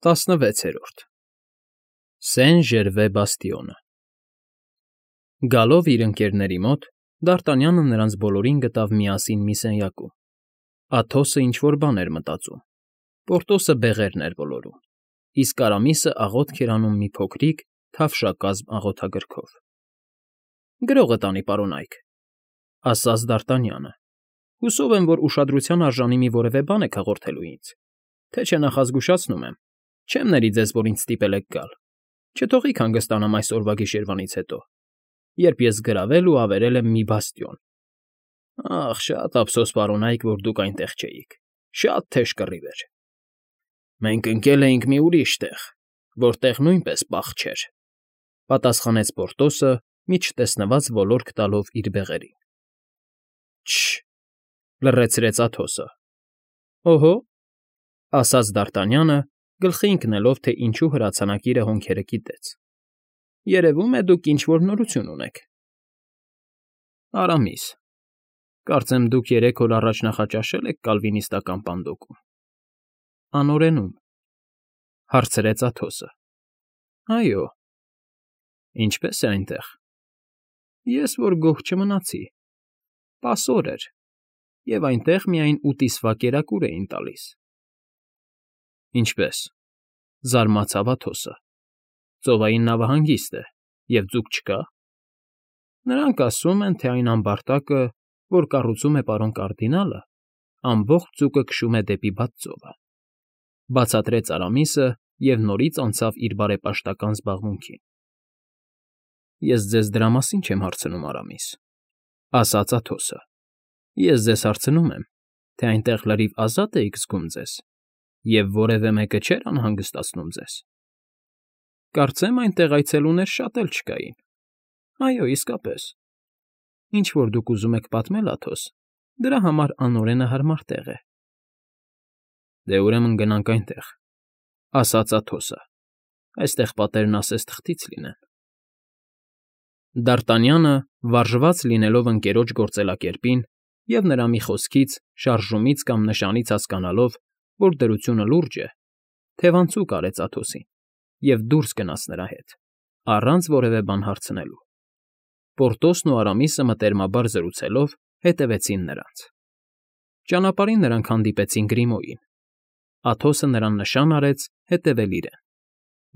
16-րդ Սեն-Ժերվե բաստիոնը Գալով իր ընկերների մոտ, Դ'Արտանյանը նրանց բոլորին գտավ միասին մի սենյակում. Աթոսը ինչ֊որ բան էր մտածում, Պորտոսը բեղերն էր ոլորում, իսկ Արամիսը աղոթք էր անում մի փոքրիկ, թավշակազմ աղոթագրքով։ ֊ Գրողը տանի, պարոնայք, ֊ ասաց Դ'Արտանյանը։ Հուսով եմ, որ ուշադրության արժանի մի որևէ բան եք հաղորդելու ինձ, թե չէ նախազգուշացնում եմ, չեմ ների ձեզ, որ ինձ ստիպել եք գալ, չթողիք հանգստանամ այս օրվա գիշերվանից հետո, երբ ես գրավել ու ավերել եմ մի բաստիոն։ Ախ, շատ ափսոս, պարոնայք, որ դուք այնտեղ չէիք, շատ թեժ կռիվ էր։ Մենք ընկել էինք մի ուրիշ տեղ, որտեղ նույնպես պահ չէր, ֊ պատասխանեց Պորտոսը, մի չտեսնված ոլորք տալով իր բեղերին։ Չը՛, ֊ լռեցրեց Աթոսը։ Օհո, ֊ ասաց Դ'Արտանյանը, գլխի ընկնելով, թե ինչու հրացանակիրը հոնքերը կիտեց։ Երևում է, դուք ինչ֊որ նորություն ունեք։ Արամիս, կարծեմ դուք 3 օր առաջ նախաճաշել եք կալվինիստական պանդոկում։ Անօրենում, ֊ հարցրեց Աթոսը։ Այո։ Ինչպե՞ս է այնտեղ։ Ես որ գոհ չմնացի։ Պասոր էր, և այնտեղ միայն ուտիստվա կերակուր էին տալիս։ Ինչպե՞ս, ֊ զարմացավ Աթոսը։ Ծովային նավահանգիստ է, և ձուկ չկա։ Նրանք ասում են, թե այն ամբարտակը, որ կառուցում է պարոն կարդինալը, ամբողջ ձուկը քշում է դեպի բաց ծովը, ֊ բացատրեց Արամիսը և նորից անցավ իր բարեպաշտական զբաղմունքին։ Ես ձեզ դրա մասին չեմ հարցնում, Արամիս, ֊ ասաց Աթոսը։ Ես ձեզ հարցնում եմ, թե այնտեղ լրիվ ազատ էիք զգում ձեզ, և որևէ մեկը չէր անհանգստացնում ձեզ։ Կարծեմ այնտեղ այցելուներ շատ էլ չկային։ Այո, իսկապես։ Ինչ որ դուք ուզում եք պատմել, Աթոս, դրա համար անօրենը հարմար տեղ է։ Դե ուրեմն գնանք այնտեղ, ֊ ասաց Աթոսը։ Այստեղ պատերն ասես թղթից լինեն։ Դ'Արտանյանը, վարժված լինելով ընկերոջ գործելակերպին և նրա մի խոսքից, շարժումից կամ նշանից հասկանալով, որ դրությունը լուրջ է, թևանցուկ արեց Աթոսին և դուրս գնաց նրա հետ, առանց որևէ բան հարցնելու։ Պորտոսն ու Արամիսը մտերմաբար զրուցելով հետևեցին նրանց։ Ճանապարհին նրանք հանդիպեցին Գրիմոյին։ Աթոսը նրան նշան արեց հետևել իրեն։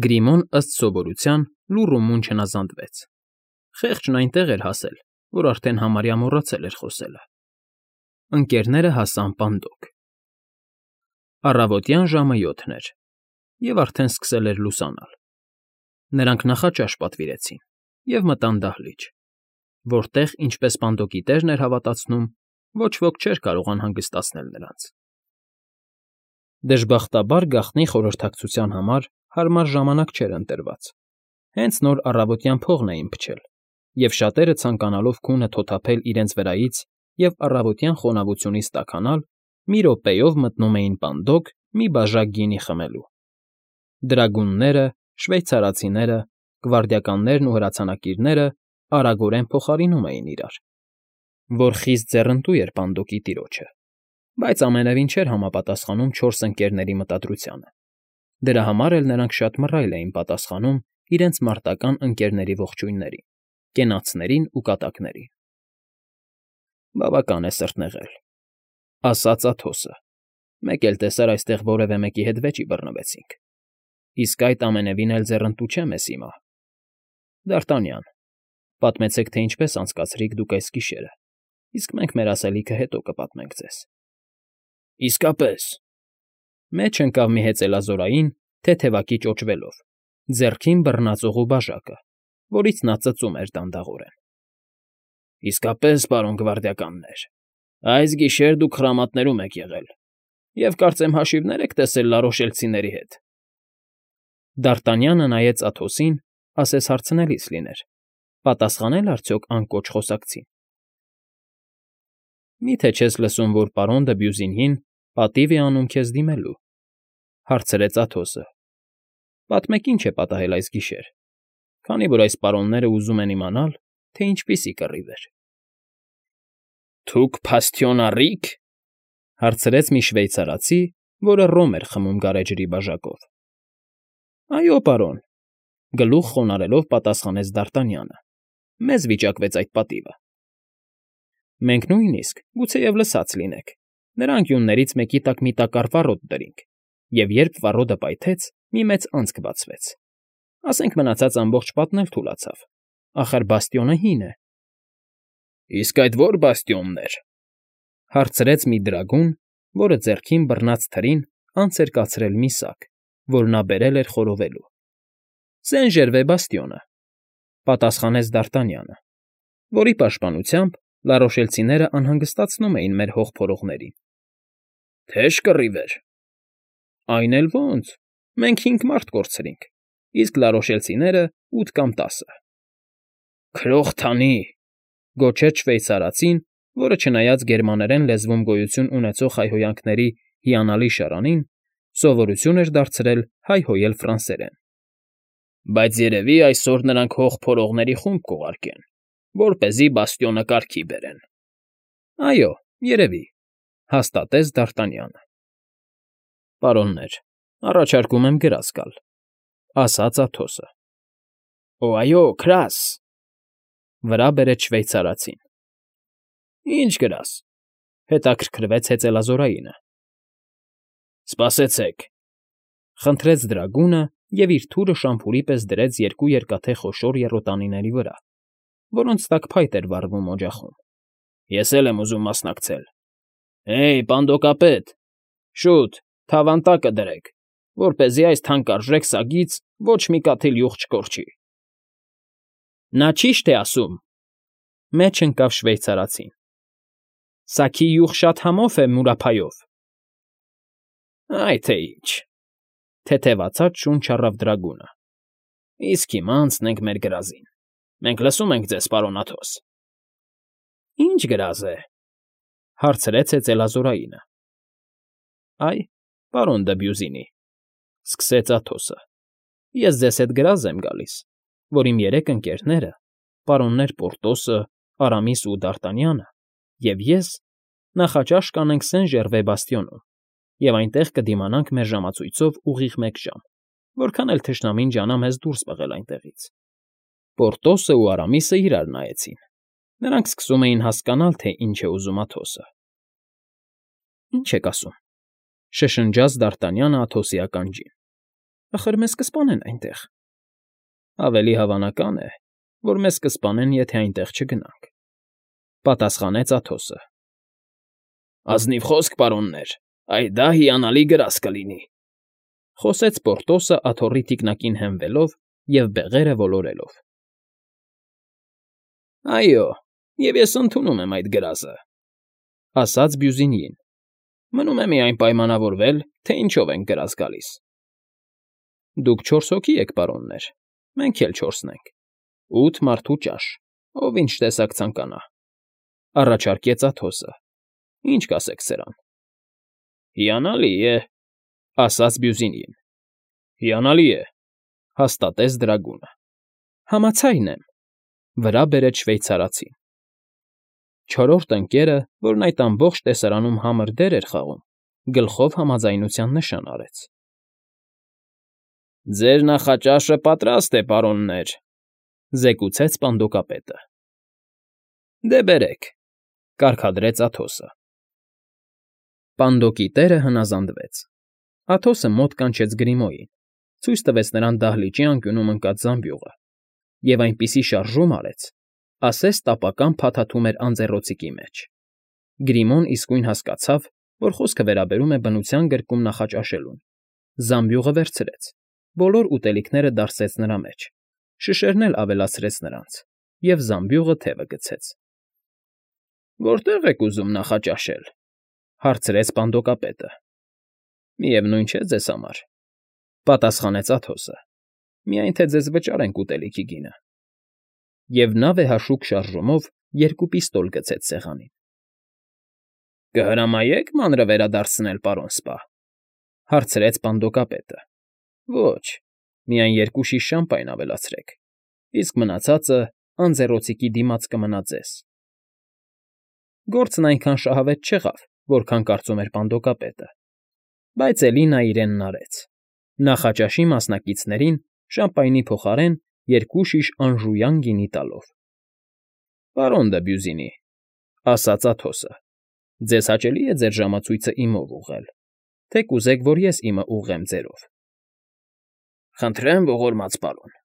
Գրիմոն, ըստ սովորության, լուռ ու մուն չնազանդվեց։ Խեղճն այնտեղ էր հասել, որ արդեն համարյա մոռացել էր խոսելը։ Ընկերները հասան պանդոկ։ Առավոտյան ժամը 7 էր, և արդեն սկսել էր լուսանալ։ Նրանք նախաճաշ պատվիրեցին և մտան դահլիճ, որտեղ, ինչպես պանդոկի տերն էր հավատացնում, ոչ ոք չէր կարող անհանգստացնել նրանց։ Դժբախտաբար գաղտնի խորհրդակցության համար հարմար ժամանակ չէր ընտրված։ Հենց նոր առավոտյան փողն էին փչել, և շատերը ցանկանալով քունը թոթափել իրենց վրայից և առավոտյան խոնավությունից տաքանալ, մի րոպեով մտնում էին պանդոկ մի բաժակ գինի խմելու։ Դրագունները, շվեյցարացիները, գվարդիականներն ու հրացանակիրները արագորեն փոխարինում էին իրար, որ խիստ ձեռնտու էր պանդոկի տիրոջը, բայց ամենևին չէր համապատասխանում 4 ընկերների մտադրությանը։ Դրա համար էլ նրանք շատ մռայլ էին պատասխանում իրենց մարտական ընկերների ողջույններին, կենացներին ու կատակներին։ Բավական է սրտնեղել, ֊ ասաց Աթոսը։ Մեկ էլ տեսար այստեղ որևէ մեկի հետ վեճի բռնվեցինք։ Իսկ այդ ամենևին էլ ձեռնտու չէ մեզ հիմա։ Դ'Արտանյան, պատմեցեք, թե ինչպես անցկացրիք դուք այս գիշերը, իսկ մենք մեր ասելիքը հետո կպատմենք ձեզ։ Իսկապես։ Մեջ ընկավ մի հեծելազորային, թեթևակի ճոճվելով, ձեռքին բռնածողու բաժակը, որից նա ծծում էր դանդաղորեն։ Իսկապես, պարոն գվարդիականներ, այս գիշեր դուք խրամատներում եք եղել, և կարծեմ հաշիվներ եք տեսել լարոշելցիների հետ։ Դ'Արտանյանը նայեց Աթոսին, ասես հարցնելիս լիներ. պատասխանել արդյոք անկոչ խոսակցին։ Մի՞թե չես լսում, որ պարոն դը Բյուզինյին պատիվ է անում քեզ դիմելու, ֊ հարցրեց Աթոսը։ Պատմեք, ինչ է պատահել այս գիշեր, քանի որ այս պարոնները ուզում են իմանալ, թե ինչպիսի կռիվ էր։ Թուք փաստիոն առի՞ք, ֊ հարցրեց մի շվեյցարացի, որը ռոմ էր խմում գարեջրի բաժակով։ Այո, պարոն, գլուխ խոնարհելով պատասխանեց Դարտանյանը։ Մեզ վիճակվեց այդ պատիվը։ Մենք նույնիսկ, գուցեև լսած լինեք, նրան գյուններից մեկի տակ մի տակառ վառոդ դրինք, և երբ վառոդը պայթեց, մի մեծ անցք բացվեց։ Ասենք մնացած ամբողջ պատն էլ թուլացավ։ Ախր բաստիոնը հին է։ Իսկ այդ ո՞ր բաստիոնն էր,֊ հարցրեց մի դրագուն, որը ձեռքին բռնած թրին անց էր կացրել մի սակ, որ նա բերել էր խորովելու։ Սեն Ժերվե բաստիոնը,֊ պատասխանեց Դարտանյանը, որի պաշտպանությամբ լարոշելցիները անհանգստացնում էին մեր հող փորողներին։ Թեժ կռիվ էր։ Այն էլ ո՜նց, մենք 5 մարդ կորցրինք, իսկ լարոշելցիները 8 կամ 10։ Քրող թանի,֊ գոչեց շվեյցարացին, որը չնայած գերմաներեն լեզվում գոյություն ունեցող հայհոյանքների հիանալի շարանին, սովորություն էր դարձրել հայհոյել ֆրանսերեն։ Բայց երևի այսօր նրանք հող փորողների խումբ կուղարկեն, որպեսզի բաստիոնը կարգի բերեն։ Այո, երևի,֊ հաստատեց Դարտանյանը։ Պարոններ, առաջարկում եմ գրազ գալ,֊ ասաց Աթոսը։ Օ, այո, քրաս,֊ վրա բերեց շվեյցարացին։ Ինչ գրազ,֊ հետաքրքրվեց հեծելազորայինը։ Սպասեցեք,֊ խնդրեց դրագունը և իր թուրը շամփուրի պես դրեց 2 երկաթե խոշոր եռոտանիների վրա, որոնց տակ փայտ էր վառվում օջախում։ Ես էլ եմ ուզում մասնակցել։ Հեյ, պանդոկապետ, շուտ, թավան տակը դրեք, որպեսզի այս թանկարժեք սագից ոչ մի կաթիլ յուղ չկորչի։ Նա ճիշտ է ասում,֊ մեջ ընկավ շվեյցարացին։ Սաքի յուղ շատ համով է մուրափայով։ Այ թե ինչ,֊ թեթևացած շունչ առավ դրագունը։ Իսկ հիմա անցնենք մեր գրազին։ Մենք լսում ենք ձեզ, պարոն Աթոս։ Ինչ գրազ է,֊ հարցրեց հեծելազորայինը։ Այ, պարոն Դեբյուզինի,֊ սկսեց Աթոսը, ես ձեզ հետ գրազ եմ գալիս, որ իմ 3 ընկերները, պարոններ Պորտոսը, Արամիսը ու Դարտանյանը, և ես նախաճաշ կանենք Սեն Ժերվե բաստիոնում և այնտեղ կդիմանանք մեր ժամացույցով ուղիղ 1 ժամ, որքան էլ թշնամին ջանա մեզ դուրս բղել այնտեղից։ Պորտոսը ու Արամիսը իրար նայեցին. նրանք սկսում էին հասկանալ, թե ինչ է ուզում Աթոսը։ Ինչ եք ասում,֊ շշնջաց Դարտանյանը Աթոսի ականջին։ Ախր մեզ կսպանեն այնտեղ։ Ավելի հավանական է, որ մեզ կսպանեն, եթե այնտեղ չգնանք,֊ պատասխանեց Աթոսը։ Ազնիվ խոսք, պարոններ, այ դա հիանալի գրազ կլինի,֊ խոսեց Պորտոսը աթոռի թիկնակին հենվելով և բեղերը ոլորելով։ Այո, և ես ընդունում եմ այդ գրազը,֊ ասաց Բյուզինիին։ Մնում է միայն պայմանավորվել, թե ինչով ենք գրազ գալիս։ Դուք 4 հոգի եք, պարոններ, մենք էլ 4-ն ենք, 8 մարդու ճաշ, ով ինչ տեսակ ցանկանա,֊ առաջարկեց Աթոսը։ Ինչ կասեք սրան։ Հիանալի է,֊ ասաց Բյուզինին։ Հիանալի է,֊ հաստատեց դրագունը։ Համաձայն եմ,֊ վրա բերեց շվեյցարացին։ 4-րդ ընկերը, որն այդ ամբողջ տեսարանում համր դեր էր խաղում, գլխով համաձայնության նշան արեց։ Ձեր նախաճաշը պատրաստ է, պարոններ,֊ զեկուցեց պանդոկապետը։ Դե բերեք,֊ կարգադրեց Աթոսը։ Պանդոկի տերը հնազանդվեց։ Աթոսը մոտ կանչեց Գրիմոյին, ցույց տվեց նրան դահլիճի անկյունում ընկած զամբյուղը և այնպիսի շարժում արեց, ասես տապական փաթաթում էր անձեռոցիկի մեջ։ Գրիմոն իսկույն հասկացավ, որ խոսքը վերաբերում է բնության գրկում նախաճաշելուն, զամբյուղը վերցրեց, բոլոր ուտելիքները դարսեց նրա մեջ, շշերն էլ ավելացրեց նրանց և զամբյուղը թևը գցեց։ Որտե՞ղ եք ուզում նախաճաշել,֊ հարցրեց պանդոկապետը։ Միևնույն չէ ձեզ համար,֊ պատասխանեց Աթոսը, միայն թե ձեզ վճարենք ուտելիքի գինը։ Եվ նա վեհաշուկ շարժումով 2 պիստոլ գցեց սեղանին։ Կհրամայե՞ք մանրը վերադարձնել, պարոն սպա,֊ հարցրեց պանդոկապետը։ Ոչ, միայն 2 շիշ շամպայն ավելացրեք, իսկ մնացածը անձեռոցիկի դիմաց կմնա ձեզ։ Գործն այնքան շահավետ չեղավ, որքան կարծում էր պանդոկապետը, բայց էլի նա իրենն արեց, Նախաճաշի մասնակիցներին շամպայնի փոխարեն 2 շիշ անժույան գինի տալով։ ֊ Պարոն դը Բյուզինի,֊ ասաց Աթոսը,֊ ձեզ հաճելի՞ է ձեր ժամացույցը իմով ուղղել, թե կուզեք, որ ես իմը ուղղեմ ձերով։ ֊ Խնդրեմ, ողորմած պարոն,֊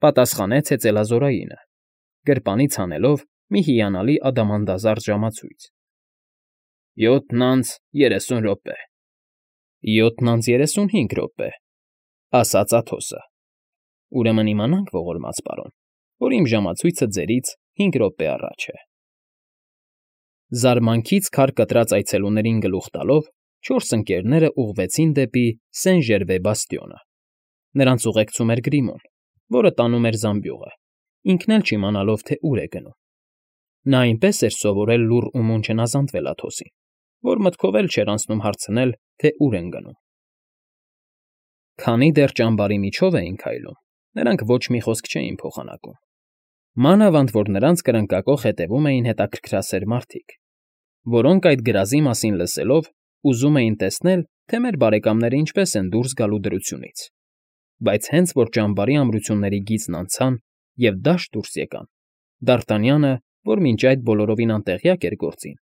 պատասխանեց հեծելազորայինը, գրպանից հանելով մի հիանալի ադամանդազարդ ժամացույց։ ֊ 7:30 րոպե։ ֊ 7:35 րոպե,֊ ասաց Աթոսը։ ֊ Ուրեմն իմանանք, ողորմած պարոն, որ իմ ժամացույցը ձերից 5 րոպե առաջ է։ Զարմանքից քար կտրած այցելուներին գլուխ տալով 4 ընկերները ուղղվեցին դեպի Սեն֊Ժերվե բաստիոնը։ Նրանց ուղեկցում էր Գրիմոն, որը տանում էր զամբյուղը, ինքն էլ չիմանալով, թե ուր է գնում։ Նա այնպես էր սովորել լուռ ու մուն չնազանդվել Աթոսին, որ մտքով էլ չէր անցնում հարցնել, թե ուր են գնում։ Քանի դեռ ճամբարի միջով էին քայլում, նրանք ոչ մի խոսք չէին փոխանակում։ Մանավանդ որ նրանց կրնկակոխ հետևում էին հետաքրքրասեր մարդիկ, որոնք այդ գրազի մասին լսելով ուզում էին տեսնել, թե մեր բարեկամները ինչպես են դուրս գալու դրությունից։ Բայց հենց որ ճամբարի ամրությունների գիծն անցան և դաշտ դուրս եկան, Դ'Արտանյանը, որ մինչ այդ բոլորովին անտեղյակ էր գործին,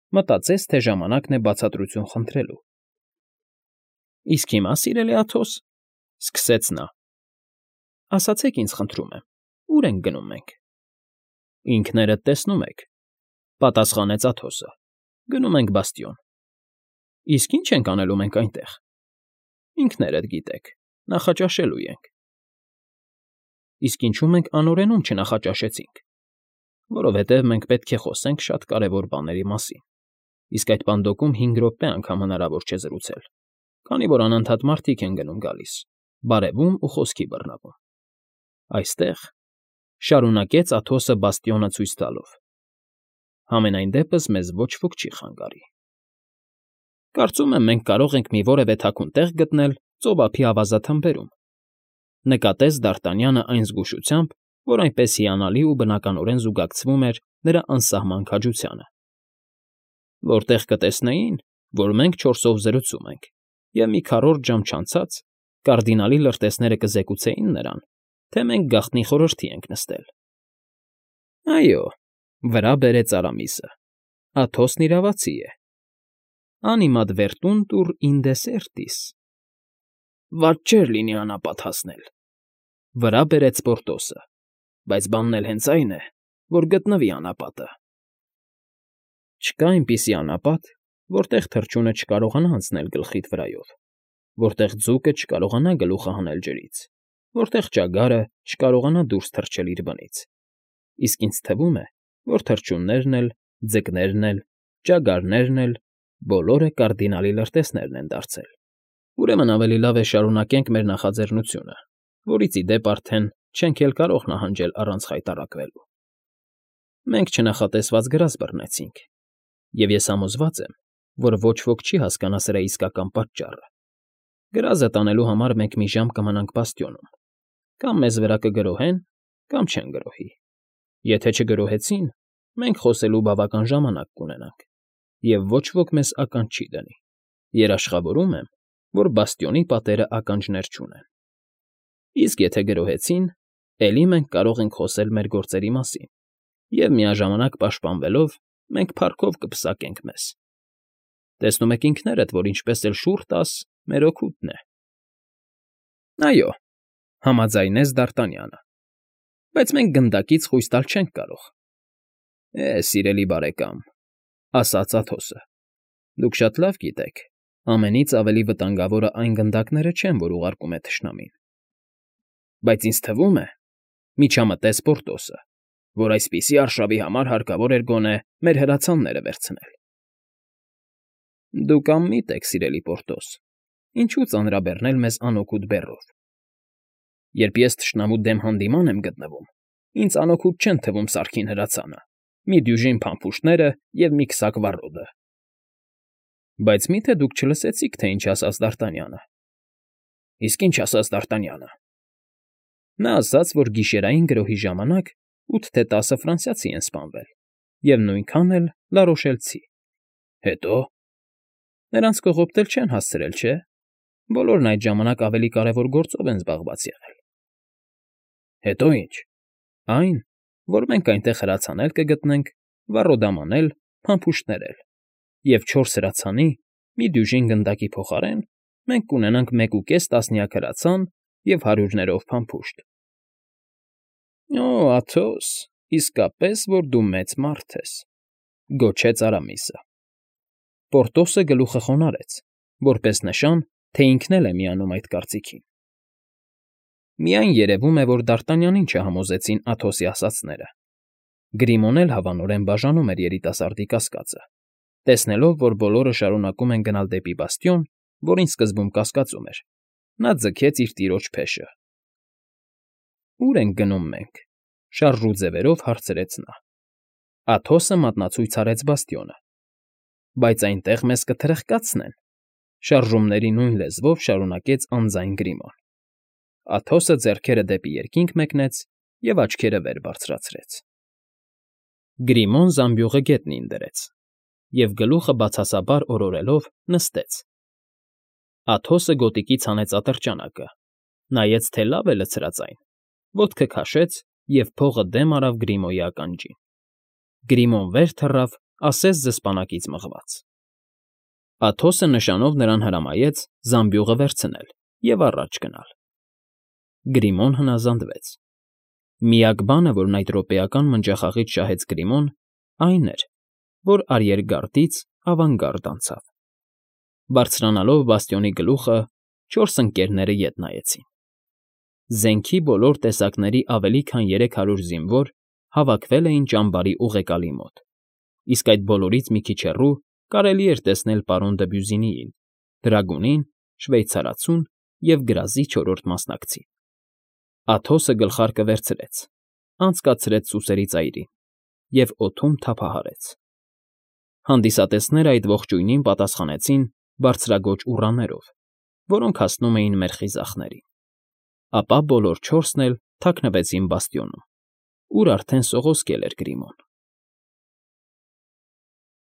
մտածեց, թե ժամանակն է բացատրություն խնդրելու։ ֊ Իսկ հիմա, սիրելի Աթոս,֊ սկսեց նա,֊ ասացեք ինձ, խնդրում եմ, ուր ենք գնում մենք։ ֊ Ինքներդ տեսնում եք,֊ պատասխանեց Աթոսը,֊ գնում ենք բաստիոն։ ֊ Իսկ ի՞նչ ենք անելու մենք այնտեղ։ ֊ Ինքներդ գիտեք, նախաճաշելու ենք։ ֊ Իսկ ինչո՞ւ մենք անօրենում չնախաճաշեցինք։ ֊ Որովհետև մենք պետք է խոսենք շատ կարևոր բաների մասին, իսկ այդ պանդոկում 5 րոպե անգամ հնարավոր չէ զրուցել, քանի որ անընդհատ մարդիկ են գնում֊գալիս, բարևում ու խոսքի բռնավում։ Այստեղ,֊ շարունակեց Աթոսը բաստիոնը ցույց տալով,֊ համենայն դեպս մեզ ոչ ոք չի խանգարի։ Կարծում եմ, մենք կարող ենք մի որևէ թաքուն տեղ գտնել ծովափի ավազաթմբերում,֊ նկատեց Դ'Արտանյանը այն զգուշությամբ, որ այնպես հիանալի ու բնականորեն զուգակցվում էր նրա անսահման քաջությանը,֊ որտեղ կտեսնեին, որ մենք 4-ով զրուցում ենք, և մի քառորդ ժամ չանցած կարդինալի լրտեսները կզեկուցեին նրան, թե մենք գաղտնի խորհրդի ենք նստել։ ֊ Այո,֊ վրա բերեց Արամիսը,֊ Աթոսն իրավացի է։ Animad vertuntur in desertis։ ֊ Վատ չէր լինի անապատ հասնել,֊ վրա բերեց Պորտոսը,֊ բայց բանն էլ հենց այն է, որ գտնվի անապատը։ ֊ Չկա այնպիսի անապատ, որտեղ թռչունը չկարողանա անցնել գլխիդ վրայով, որտեղ ձուկը չկարողանա գլուխը հանել ջրից, որտեղ ճագարը չկարողանա դուրս թռչել իր բնից, իսկ ինձ թվում է, որ թռչուններն էլ, ձկներն էլ, ճագարներն էլ բոլորը կարդինալի լրտեսներն են դարձել։ Ուրեմն ավելի լավ է շարունակենք մեր նախաձեռնությունը, որից ի դեպ արդեն չենք էլ կարող նահանջել առանց խայտառակվելու։ Մենք չնախատեսված գրազ բռնեցինք, և ես համոզված եմ, որ ոչ ոք չի հասկանա սրա իսկական պատճառը։ Գրազը տանելու համար մենք մի ժամ կմնանք բաստիոնում, կամ մեզ վրա կգրոհեն, կամ չեն գրոհի։ Եթե չգրոհեցին, մենք խոսելու բավական ժամանակ կունենանք, և ոչ ոք մեզ ականջ չի դնի։ Երաշխավորում եմ, որ բաստիոնի պատերը ականջներ չունեն։ Իսկ եթե գրոհեցին, էլի մենք կարող ենք խոսել մեր գործերի մասին, և միաժամանակ պաշտպանվելով մենք փառքով կպսակենք մեզ։ Տեսնում եք ինքներդ, որ ինչպես էլ շուռ տաս, մեր օգուտն է։ ֊ Այո,֊ համաձայնեց Դ'Արտանյանը,֊ բայց մենք գնդակից խույս տալ չենք կարող։ ֊ Սիրելի բարեկամ,֊ ասաց Աթոսը,֊ դուք շատ լավ գիտեք, ամենից ավելի վտանգավորը այն գնդակները չեն, որ ուղարկում է թշնամին։ Բայց ինձ թվում է, միջամտեց Պորտոսը, որ այսպիսի արշավի համար հարկավոր էր գոնե մեր հրացանները վերցնել։ ֊ Դուք անմիտ եք, սիրելի Պորտոս, ինչու ծանրաբեռնել մեզ անօգուտ բեռով։ Երբ ես թշնամու դեմ հանդիման եմ գտնվում, ինձ անօգուտ չեն թվում սարքին հրացանը, մի դյուժին փամփուշտները և մի քսակ վառոդը։ ֊ Բայց մի՞թե դուք չլսեցիք, թե ինչ ասաց Դ'Արտանյանը։ ֊ Իսկ ինչ ասաց Դ'Արտանյանը։ ֊ Նա ասաց, որ գիշերային գրոհի ժամանակ 8 թե 10 ֆրանսիացի են սպանվել, և նույնքան էլ լարոշելցի։ ֊ Հետո՞։ ֊ Նրանց կողոպտել չեն հասցրել, չէ՞։ Բոլորն այդ ժամանակ ավելի կարևոր գործով են զբաղված եղել։ Հետո ի՞նչ։ Այն, որ մենք այնտեղ հրացանել կգտնենք, վառոդամ անել, փամփուշտներել, և 4 հրացանի, մի դյուժին գնդակի փոխարեն մենք կունենանք 1.5 տասնյակ հրացան և հարյուրներով փամփուշտ։ Օ, Աթոս, իսկապես որ դու մեծ մարդ ես,֊ գոչեց Արամիսը։ Պորտոսը գլուխը խոնարհեց, որպես նշան, թե ինքն էլ է միանում այդ կարծիքին։ Միայն երևում է, որ Դարտանյանին չհամոզեցին Աթոսի ասածները։ Գրիմոն էլ հավանորեն բաժանում էր երիտասարդի կասկածը, տեսնելով, որ բոլորը շարունակում են գնալ դեպի բաստիոն, որին սկզբում կասկածում էր, նա ձգեց իր տիրոջ փեշը։ Ո՞ւր ենք գնում մենք,֊ շարժու ձևերով հարցրեց նա։ Աթոսը մատնացույց արեց բաստիոնը։ Բայց այնտեղ մեզ կթրխկացնեն,֊ շարժումների նույն լեզվով շարունակեց անձայն Գրիմոն։ Աթոսը ձեռքերը դեպի երկինք մեկնեց և աչքերը վեր բարձրացրեց։ Գրիմոն զամբյուղը գետնին դրեց և գլուխը բացասաբար օրորելով նստեց։ Աթոսը գոտիկից հանեց ատրճանակը, նայեց, թե լավ է լցրած այն, ոտքը քաշեց և փողը դեմ արավ Գրիմոյի ականջին։ Գրիմոն վեր թռավ, ասես զսպանակից մղված։ Աթոսը նշանով նրան հրամայեց զամբյուղը վերցնել և առաջ գնալ։ Գրիմոն հնազանդվեց։ Միակ բանը, որն այդ րոպեական մնջախաղից շահեց Գրիմոն, այն էր, որ արիերգարդից ավանգարդ անցավ։ Բարձրանալով բաստիոնի գլուխը, 4 ընկներները ետ նայեցին։ Զենքի բոլոր տեսակների ավելի քան 300 զինվոր հավաքվել էին ճամբարի ուղեկալի մոտ, իսկ այդ բոլորից մի քիչ հեռու կարելի էր տեսնել պարոն Դբյուզինիին, դրագունին, շվեյցարացուն և գրազի 4-րդ մասնակցին։ Աթոսը գլխարկը վերցրեց, անցկացրեց սուսերի ծայրին և օդում թափահարեց։ Հանդիսատեսները այդ ողջույնին պատասխանեցին բարձրաձոչ ուռաներով, որոնք հասնում էին մեր խիզախներին։ Ապա բոլոր 4-ն էլ թաքնվեցին բաստիոնում, ուր արդեն սողոսկել էր Գրիմոն։